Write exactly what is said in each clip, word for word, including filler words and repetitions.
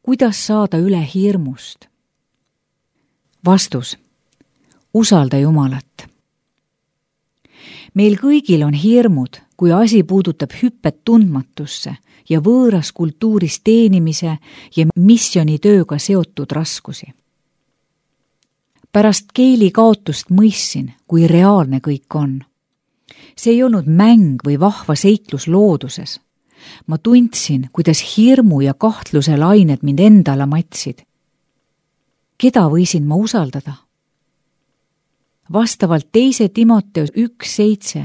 kuidas saada üle hirmust? Vastus. Usalda Jumalat. Meil kõigil on hirmud, kui asi puudutab hüppet tundmatusse ja võõras kultuuris teenimise ja missionitööga seotud raskusi. Pärast Keili kaotust mõistsin, kui reaalne kõik on. See ei olnud mäng või vahva seiklus looduses. Ma tundsin, kuidas hirmu ja kahtluse lained mind endale matsid. Keda võisin ma usaldada? Vastavalt teise Timoteus üks seitse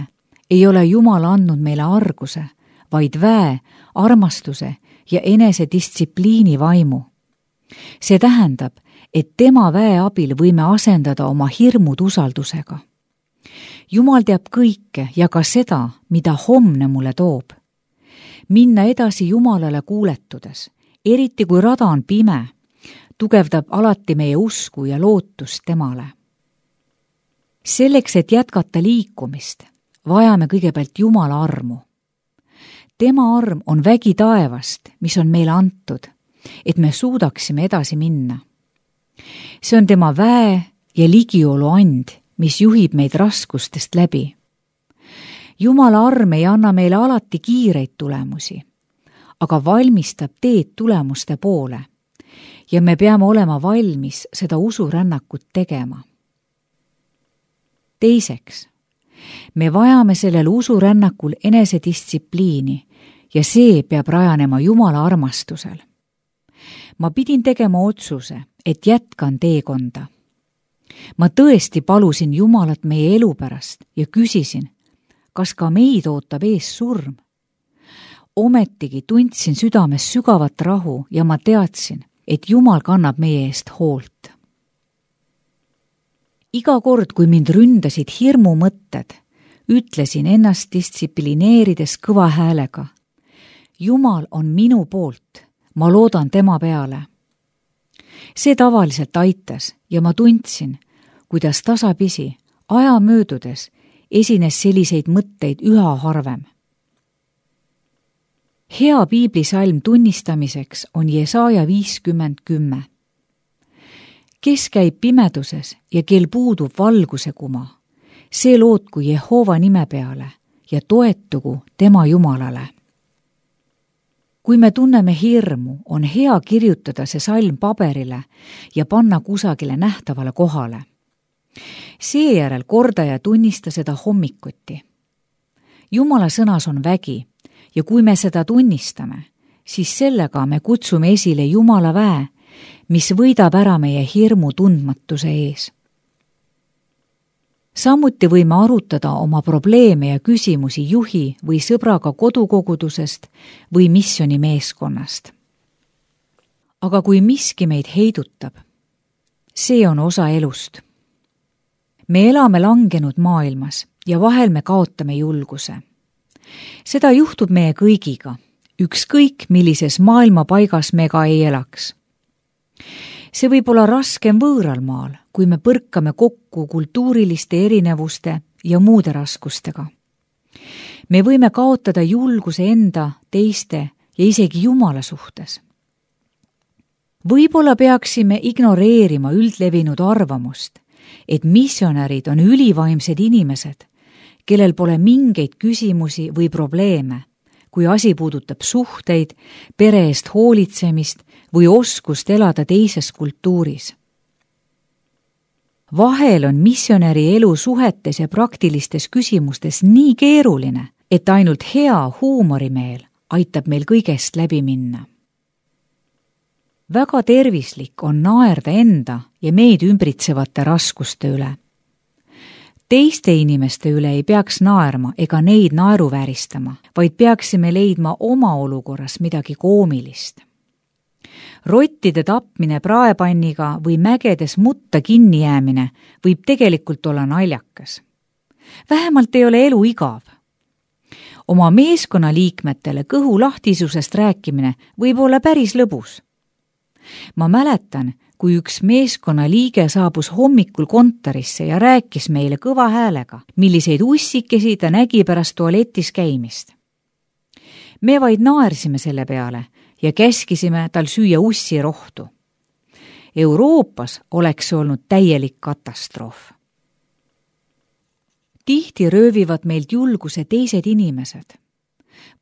ei ole Jumal andnud meile arguse, vaid väe, armastuse ja enesedistsipliini vaimu. See tähendab, et tema väe abil võime asendada oma hirmud usaldusega. Jumal teab kõike ja ka seda, mida homne mulle toob. Minna edasi Jumalale kuuletudes, eriti kui rada on pime, tugevdab alati meie usku ja lootust temale. Selleks, et jätkata liikumist, vajame kõigepealt Jumala armu. Tema arm on vägi taevast, mis on meile antud, et me suudaksime edasi minna. See on tema väe ja ligiolu and, mis juhib meid raskustest läbi. Jumala arm ei anna meile alati kiireid tulemusi, aga valmistab teed tulemuste poole ja me peame olema valmis seda usurännakut tegema. Teiseks, me vajame sellel usurännakul enesedistsipliini ja see peab rajanema Jumala armastusel. Ma pidin tegema otsuse, et jätkan teekonda. Ma tõesti palusin Jumalat meie elu pärast ja küsisin, kas ka meid ootab ees surm. Ometigi tundsin südames sügavat rahu ja ma teadsin, et Jumal kannab meie eest hoolt. Iga kord, kui mind ründasid hirmu mõtted, ütlesin ennast distsiplineerides kõva häälega. Jumal on minu poolt, ma loodan tema peale. See tavaliselt aitas ja ma tundsin, kuidas tasapisi, aja möödudes, esines selliseid mõtteid üha harvem. Hea piiblisalm tunnistamiseks on Jesaja viiskümmend kümme. Kes käib pimeduses ja kel puudub valguse kuma, see lootku Jehova nime peale ja toetugu tema Jumalale. Kui me tunneme hirmu, on hea kirjutada see salm paberile ja panna kusagile nähtavale kohale. Seejärel korda ja tunnista seda hommikuti. Jumala sõnas on vägi ja kui me seda tunnistame, siis sellega me kutsume esile Jumala väe, mis võidab ära meie hirmu tundmatuse ees. Samuti võime arutada oma probleeme ja küsimusi juhi või sõbraga kodukogudusest või missionimeeskonnast. Aga kui miski meid heidutab, see on osa elust. Me elame langenud maailmas ja vahel me kaotame julguse. Seda juhtub meie kõigiga, ükskõik millises maailmapaigas me ka ei elaks. See võib olla raskem võõral maal, kui me põrkame kokku kultuuriliste erinevuste ja muude raskustega. Me võime kaotada julguse enda, teiste ja isegi Jumala suhtes. Võib-olla peaksime ignoreerima üldlevinud arvamust, et missionärid on ülivaimsed inimesed, kellel pole mingeid küsimusi või probleeme, kui asi puudutab suhteid, pere eest hoolitsemist või oskust elada teises kultuuris. Vahel on missionäri elu suhetes ja praktilistes küsimustes nii keeruline, et ainult hea huumorimeel aitab meil kõigest läbi minna. Väga tervislik on naerda enda ja meid ümbritsevate raskuste üle. Teiste inimeste üle ei peaks naerma ega neid naeruvääristama, vaid peaksime leidma oma olukorras midagi koomilist. Rottide tapmine praepanniga või mägedes mutta kinni jäämine võib tegelikult olla naljakas. Vähemalt ei ole elu igav. Oma meeskonna liikmetele kõhu lahtisusest rääkimine võib olla päris lõbus. Ma mäletan, kui üks meeskonna liige saabus hommikul kontorisse ja rääkis meile kõva häälega, milliseid ussikesi ta nägi pärast tualetis käimist. Me vaid naersime selle peale ja käskisime tal süüa ussirohtu. Euroopas oleks see olnud täielik katastroof. Tihti röövivad meilt julguse teised inimesed.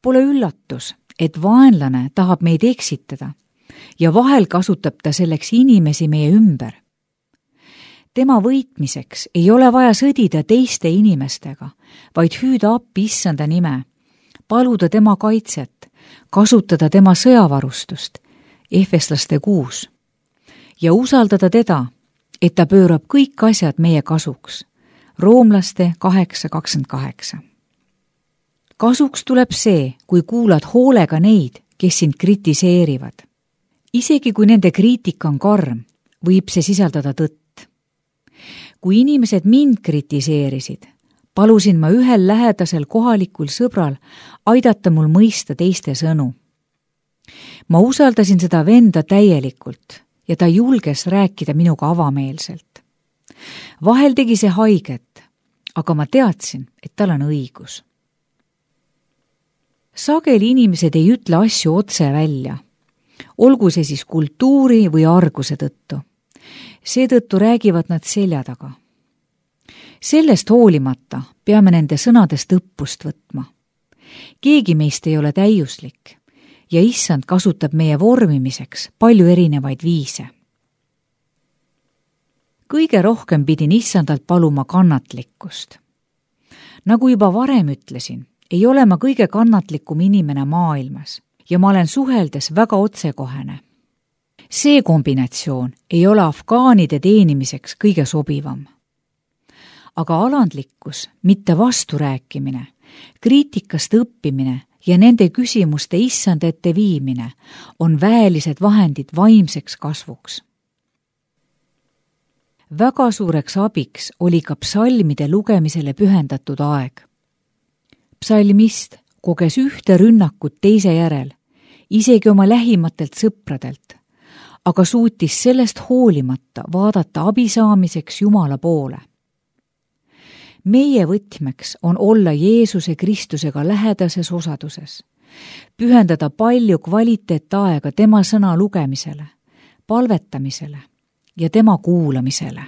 Pole üllatus, et vaenlane tahab meid eksitada ja vahel kasutab ta selleks inimesi meie ümber. Tema võitmiseks ei ole vaja sõdida teiste inimestega, vaid hüüda appi issanda nime, paluda tema kaitset, kasutada tema sõjavarustust, Efeslaste kuus, ja usaldada teda, et ta pöörab kõik asjad meie kasuks, Roomlaste kaheksa kakskümmend kaheksa. Kasuks tuleb see, kui kuulad hoolega neid, kes sind kritiseerivad. Isegi kui nende kriitika on karm, võib see sisaldada tõtt. Kui inimesed mind kritiseerisid, palusin ma ühel lähedasel kohalikul sõbral aidata mul mõista teiste sõnu. Ma usaldasin seda venda täielikult ja ta julges rääkida minuga avameelselt. Vahel tegi see haiget, aga ma teadsin, et tal on õigus. Sageli inimesed ei ütle asju otse välja, olgu see siis kultuuri või arguse tõttu. Seetõttu räägivad nad selja taga. Sellest hoolimata peame nende sõnadest õppust võtma. Keegi meist ei ole täiuslik ja issand kasutab meie vormimiseks palju erinevaid viise. Kõige rohkem pidin issandalt paluma kannatlikkust. Nagu juba varem ütlesin, ei ole ma kõige kannatlikum inimene maailmas ja ma olen suheldes väga otsekohene. See kombinatsioon ei ole afgaanide teenimiseks kõige sobivam. Aga alandlikkus, mitte vasturääkimine, kriitikast õppimine ja nende küsimuste issand ette viimine on väelised vahendid vaimseks kasvuks. Väga suureks abiks oli ka psalmide lugemisele pühendatud aeg. Psalmist koges ühte rünnakut teise järel, isegi oma lähimatelt sõpradelt, aga suutis sellest hoolimata vaadata abi saamiseks Jumala poole. Meie võtmeks on olla Jeesuse Kristusega lähedases osaduses, pühendada palju kvaliteetaega tema sõna lugemisele, palvetamisele ja tema kuulamisele.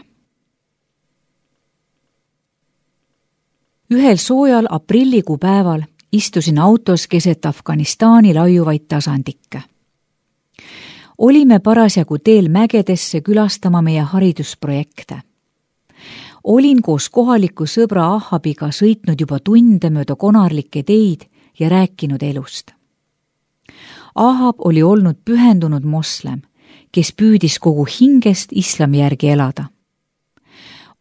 Ühel soojal aprillikuu päeval istusin autos keset Afganistani laiuvaid tasandikke. Olime parasjagu teel mägedesse külastama meie haridusprojekte. Olin koos kohaliku sõbra Ahabiga sõitnud juba tunde mööda konarlikke teid ja rääkinud elust. Ahab oli olnud pühendunud moslem, kes püüdis kogu hingest islami järgi elada.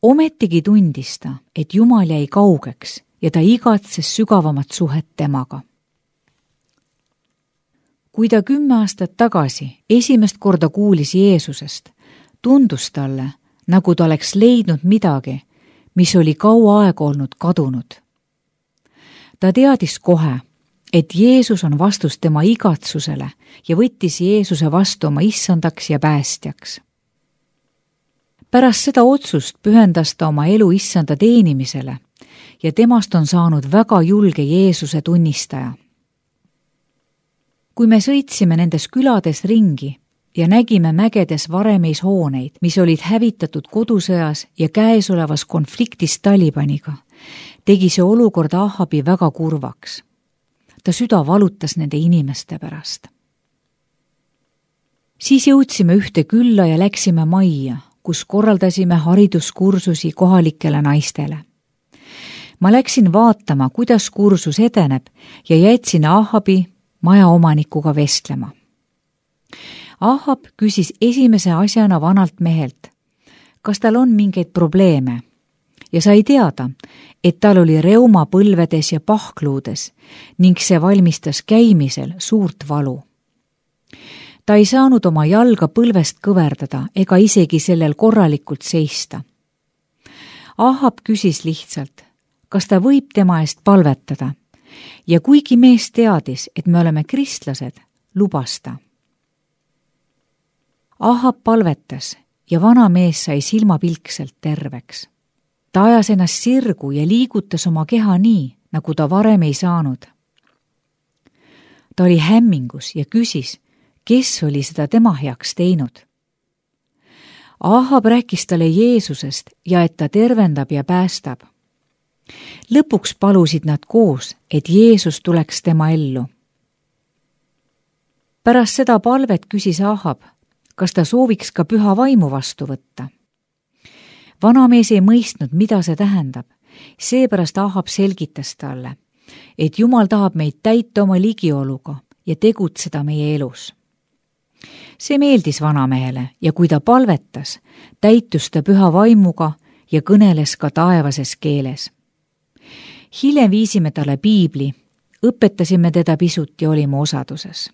Ometigi tundis ta, et Jumal jäi kaugeks ja ta igatses sügavamat suhet temaga. Kui ta kümme aastat tagasi esimest korda kuulis Jeesusest, tundus talle, nagu ta oleks leidnud midagi, mis oli kaua aega olnud kadunud. Ta teadis kohe, et Jeesus on vastus tema igatsusele ja võttis Jeesuse vastu oma issandaks ja päästjaks. Pärast seda otsust pühendas ta oma elu issanda teenimisele ja temast on saanud väga julge Jeesuse tunnistaja. Kui me sõitsime nendes külades ringi ja nägime mägedes varemeis hooneid, mis olid hävitatud kodusõjas ja käesolevas konfliktis Talibaniga, tegi see olukord Ahabi väga kurvaks. Ta süda valutas nende inimeste pärast. Siis jõudsime ühte külla ja läksime majja, kus korraldasime hariduskursusi kohalikele naistele. Ma läksin vaatama, kuidas kursus edeneb ja jätsin Ahabi majaomanikuga vestlema. Ahab küsis esimese asjana vanalt mehelt, kas tal on mingeid probleeme ja sai teada, et tal oli reuma põlvedes ja pahkluudes ning see valmistas käimisel suurt valu. Ta ei saanud oma jalga põlvest kõverdada ega isegi sellel korralikult seista. Ahab küsis lihtsalt, kas ta võib tema eest palvetada ja kuigi mees teadis, et me oleme kristlased, lubas ta. Ahab palvetas ja vana mees sai silmapilkselt terveks. Ta ajas ennast sirgu ja liigutas oma keha nii, nagu ta varem ei saanud. Ta oli hämmingus ja küsis, kes oli seda tema heaks teinud. Ahab rääkis talle Jeesusest ja et ta tervendab ja päästab. Lõpuks palusid nad koos, et Jeesus tuleks tema ellu. Pärast seda palvet küsis Ahab, kas ta sooviks ka püha vaimu vastu võtta. Vanamees ei mõistnud, mida see tähendab, seepärast Ahab selgitas talle, et Jumal tahab meid täita oma ligioluga ja tegutseda meie elus. See meeldis vanamehele ja kui ta palvetas, täitus ta püha vaimuga ja kõneles ka taevases keeles. Hiljem viisime talle piibli, õpetasime teda pisut ja olime osaduses.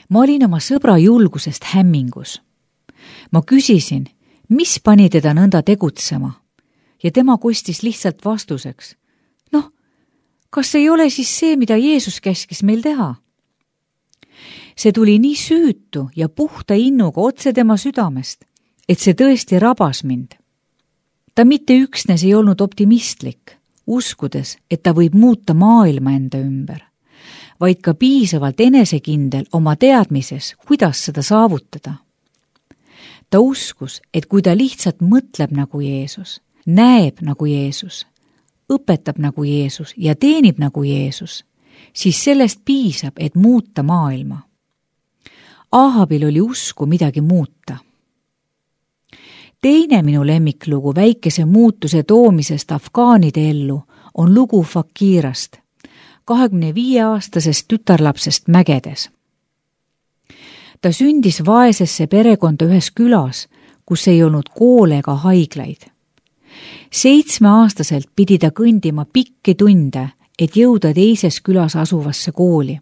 Ma olin oma sõbra julgusest hämmingus. Ma küsisin, mis pani teda nõnda tegutsema ja tema kostis lihtsalt vastuseks. Noh, kas ei ole siis see, mida Jeesus käskis meil teha? See tuli nii süütu ja puhta innuga otse tema südamest, et see tõesti rabas mind. Ta mitte üksnes ei olnud optimistlik, uskudes, et ta võib muuta maailma enda ümber, vaid ka piisavalt enesekindel oma teadmises, kuidas seda saavutada. Ta uskus, et kui ta lihtsalt mõtleb nagu Jeesus, näeb nagu Jeesus, õpetab nagu Jeesus ja teenib nagu Jeesus, siis sellest piisab, et muuta maailma. Ahabil oli usku midagi muuta. Teine minu lemmiklugu väikese muutuse toomisest afgaanide ellu on lugu Fakirast, kahekümne viie aastasest tütarlapsest mägedes. Ta sündis vaesesse perekonda ühes külas, kus ei olnud koole ega haiglaid. Seitsmeaastaselt pidi ta kõndima pikki tunde, et jõuda teises külas asuvasse kooli.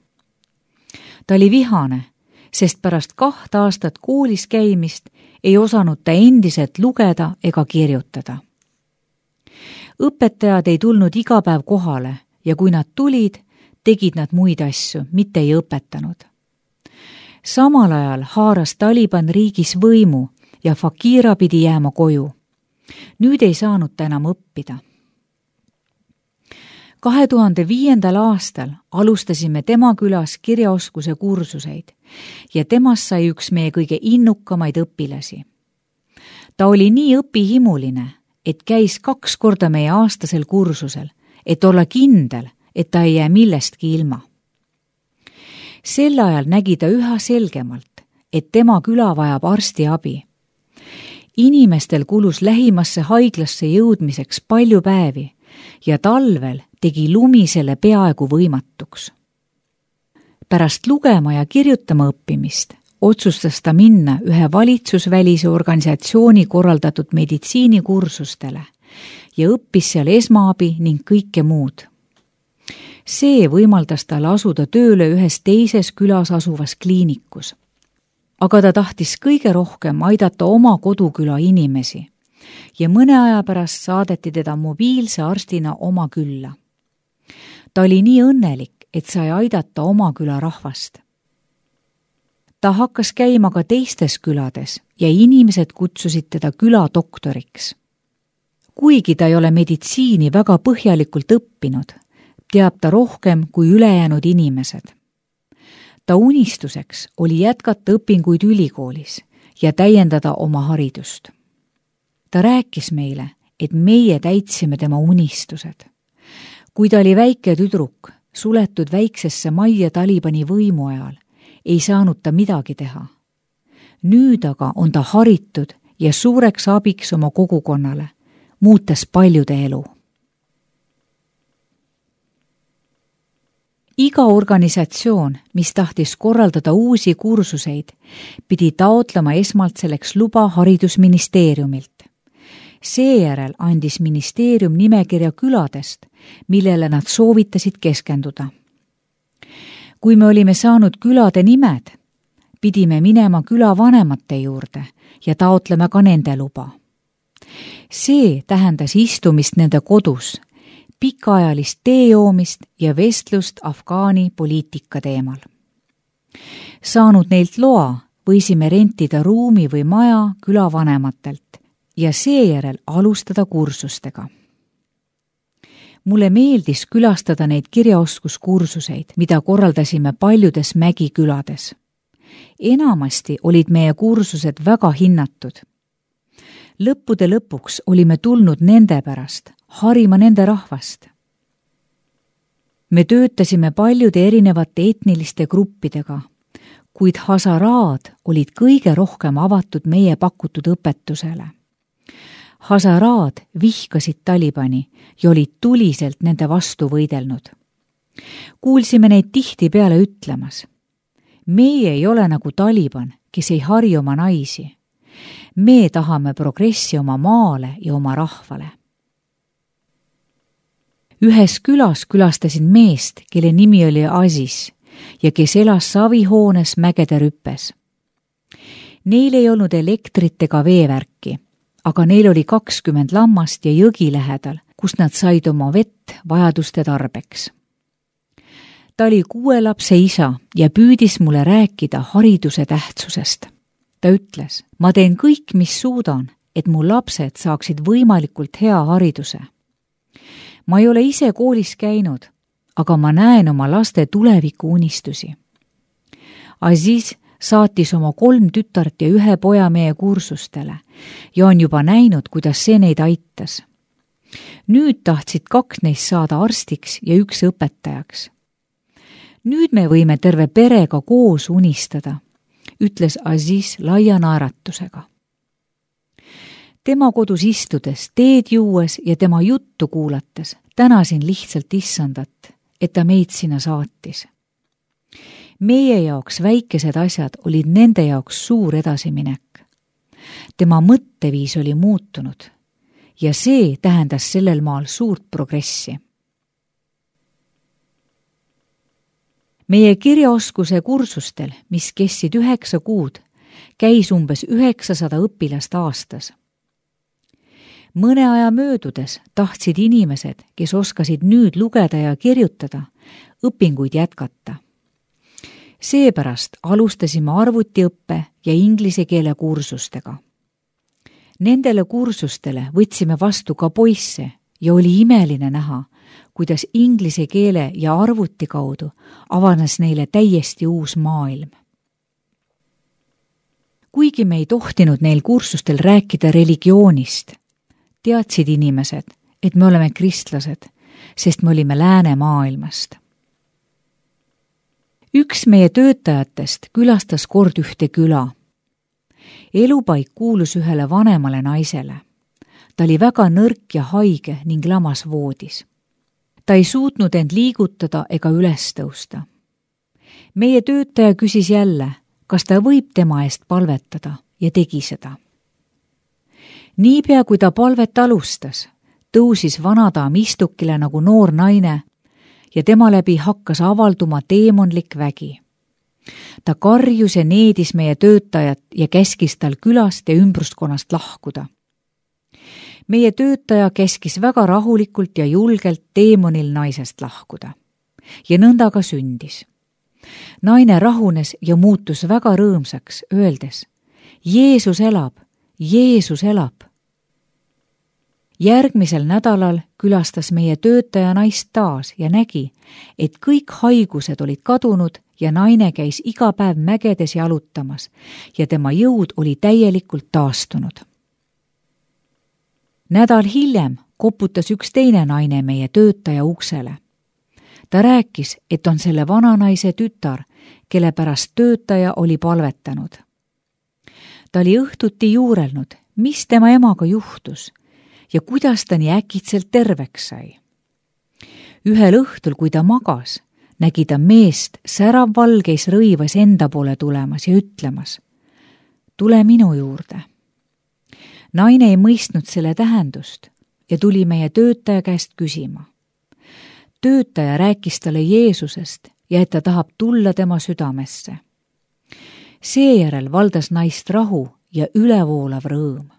Ta oli vihane, sest pärast kaht aastat koolis käimist ei osanud ta endiselt lugeda ega kirjutada. Õpetajad ei tulnud iga päev kohale ja kui nad tulid, tegid nad muid asju, mitte ei õpetanud. Samal ajal haaras Taliban riigis võimu ja Fakira pidi jääma koju. Nüüd ei saanud ta enam õppida. kahe tuhande viiendal aastal alustasime tema külas kirjaoskuse kursuseid ja temast sai üks meie kõige innukamaid õpilasi. Ta oli nii õpihimuline, et käis kaks korda meie aastasel kursusel, et olla kindel, et ta ei jää millestki ilma. Sel ajal nägi ta üha selgemalt, et tema küla vajab arsti abi. Inimestel kulus lähimasse haiglasse jõudmiseks palju päevi ja talvel tegi lumi selle peaaegu võimatuks. Pärast lugema ja kirjutama õppimist otsustas ta minna ühe valitsusvälise organisatsiooni korraldatud meditsiinikursustele ja õppis seal esmaabi ning kõike muud. See võimaldas tal asuda tööle ühes teises külas asuvas kliinikus. Aga ta tahtis kõige rohkem aidata oma koduküla inimesi ja mõne aja pärast saadeti teda mobiilse arstina oma külla. Ta oli nii õnnelik, et sai aidata oma küla rahvast. Ta hakkas käima ka teistes külades ja inimesed kutsusid teda küladoktoriks. Kuigi ta ei ole meditsiini väga põhjalikult õppinud, teab ta rohkem kui ülejäänud inimesed. Ta unistuseks oli jätkata õpinguid ülikoolis ja täiendada oma haridust. Ta rääkis meile, et meie täitsime tema unistused. Kui ta oli väike tüdruk, suletud väiksesse majja Talibani võimu ajal, ei saanud ta midagi teha. Nüüd aga on ta haritud ja suureks abiks oma kogukonnale, muutes paljude elu. Iga organisatsioon, mis tahtis korraldada uusi kursuseid, pidi taotlema esmalt selleks luba haridusministeeriumilt. Seejärel andis ministeerium nimekirja küladest, millele nad soovitasid keskenduda. Kui me olime saanud külade nimed, pidime minema külavanemate juurde ja taotlema ka nende luba. See tähendas istumist nende kodus, pikaajalist tee joomist ja vestlust Afgaani poliitika teemal. Saanud neilt loa, võisime rentida ruumi või maja külavanematelt ja seejärel alustada kursustega. mulle meeldis külastada neid kirjaoskuskursuseid, mida korraldasime paljudes mägikülades. Enamasti olid meie kursused väga hinnatud. Lõppude lõpuks olime tulnud nende pärast, harima nende rahvast. Me töötasime paljude erinevate etniliste gruppidega, kuid Hazaraad olid kõige rohkem avatud meie pakutud õpetusele. Hazaraad vihkasid Talibani ja olid tuliselt nende vastu võidelnud. Kuulsime neid tihti peale ütlemas: meie ei ole nagu Taliban, kes ei hari oma naisi. Me tahame progressi oma maale ja oma rahvale. Ühes külas külastasin meest, kelle nimi oli Aziz ja kes elas savihoones mägede rüppes. Neil ei olnud elektrit ega veevärki, aga neil oli kakskümmend lammast ja jõgi lähedal, kus nad said oma vett vajaduste tarbeks. Ta oli kuue lapse isa ja püüdis mulle rääkida hariduse tähtsusest. Ta ütles: ma teen kõik, mis suudan, et mu lapsed saaksid võimalikult hea hariduse. Ma ei ole ise koolis käinud, aga ma näen oma laste tuleviku unistusi. Aziz saatis oma kolm tütart ja ühe poja meie kursustele ja on juba näinud, kuidas see neid aitas. Nüüd tahtsid kaks neist saada arstiks ja üks õpetajaks. Nüüd me võime terve perega koos unistada, ütles Aziz laia naeratusega. Tema kodus istudes, teed juues ja tema juttu kuulates tänasin lihtsalt issandat, et ta meid sinna saatis. Meie jaoks väikesed asjad olid nende jaoks suur edasiminek. Tema mõtteviis oli muutunud ja see tähendas sellel maal suurt progressi. Meie kirjaoskuse kursustel, mis kestsid üheksa kuud, käis umbes üheksasada õpilast aastas. Mõne aja möödudes tahtsid inimesed, kes oskasid nüüd lugeda ja kirjutada, õpinguid jätkata. Seepärast alustasime arvutiõppe ja inglise keele kursustega. Nendele kursustele võtsime vastu ka poisse ja oli imeline näha, kuidas inglise keele ja arvuti kaudu avanes neile täiesti uus maailm. Kuigi me ei tohtinud neil kursustel rääkida religioonist, teadsid inimesed, et me oleme kristlased, sest me olime läänemaailmast. Üks meie töötajatest külastas kord ühte küla. Elupaik kuulus ühele vanemale naisele. Ta oli väga nõrk ja haige ning lamas voodis. Ta ei suutnud end liigutada ega üles tõusta. Meie töötaja küsis jälle, kas ta võib tema eest palvetada ja tegi seda. Niipea kui ta palvet alustas, tõusis vanadaam istukile nagu noor naine ja tema läbi hakkas avalduma teemonlik vägi. Ta karjus ja needis meie töötajat ja käskis tal külast ja ümbruskonnast lahkuda. Meie töötaja käskis väga rahulikult ja julgelt teemonil naisest lahkuda. Ja nõnda ka sündis. Naine rahunes ja muutus väga rõõmsaks, öeldes: Jeesus elab, Jeesus elab. Järgmisel nädalal külastas meie töötaja naist taas ja nägi, et kõik haigused olid kadunud ja naine käis iga päev mägedes jalutamas ja tema jõud oli täielikult taastunud. Nädal hiljem koputas üks teine naine meie töötaja uksele. Ta rääkis, et on selle vananaise tütar, kelle pärast töötaja oli palvetanud. Ta oli õhtuti juurelnud, mis tema emaga juhtus ja kuidas ta nii äkitselt terveks sai. Ühel õhtul, kui ta magas, nägi ta meest säravvalgeis rõivas enda poole tulemas ja ütlemas: tule minu juurde. Naine ei mõistnud selle tähendust ja tuli meie töötaja käest küsima. Töötaja rääkis talle Jeesusest ja et ta tahab tulla tema südamesse. Seejärel valdas naist rahu ja ülevoolav rõõm.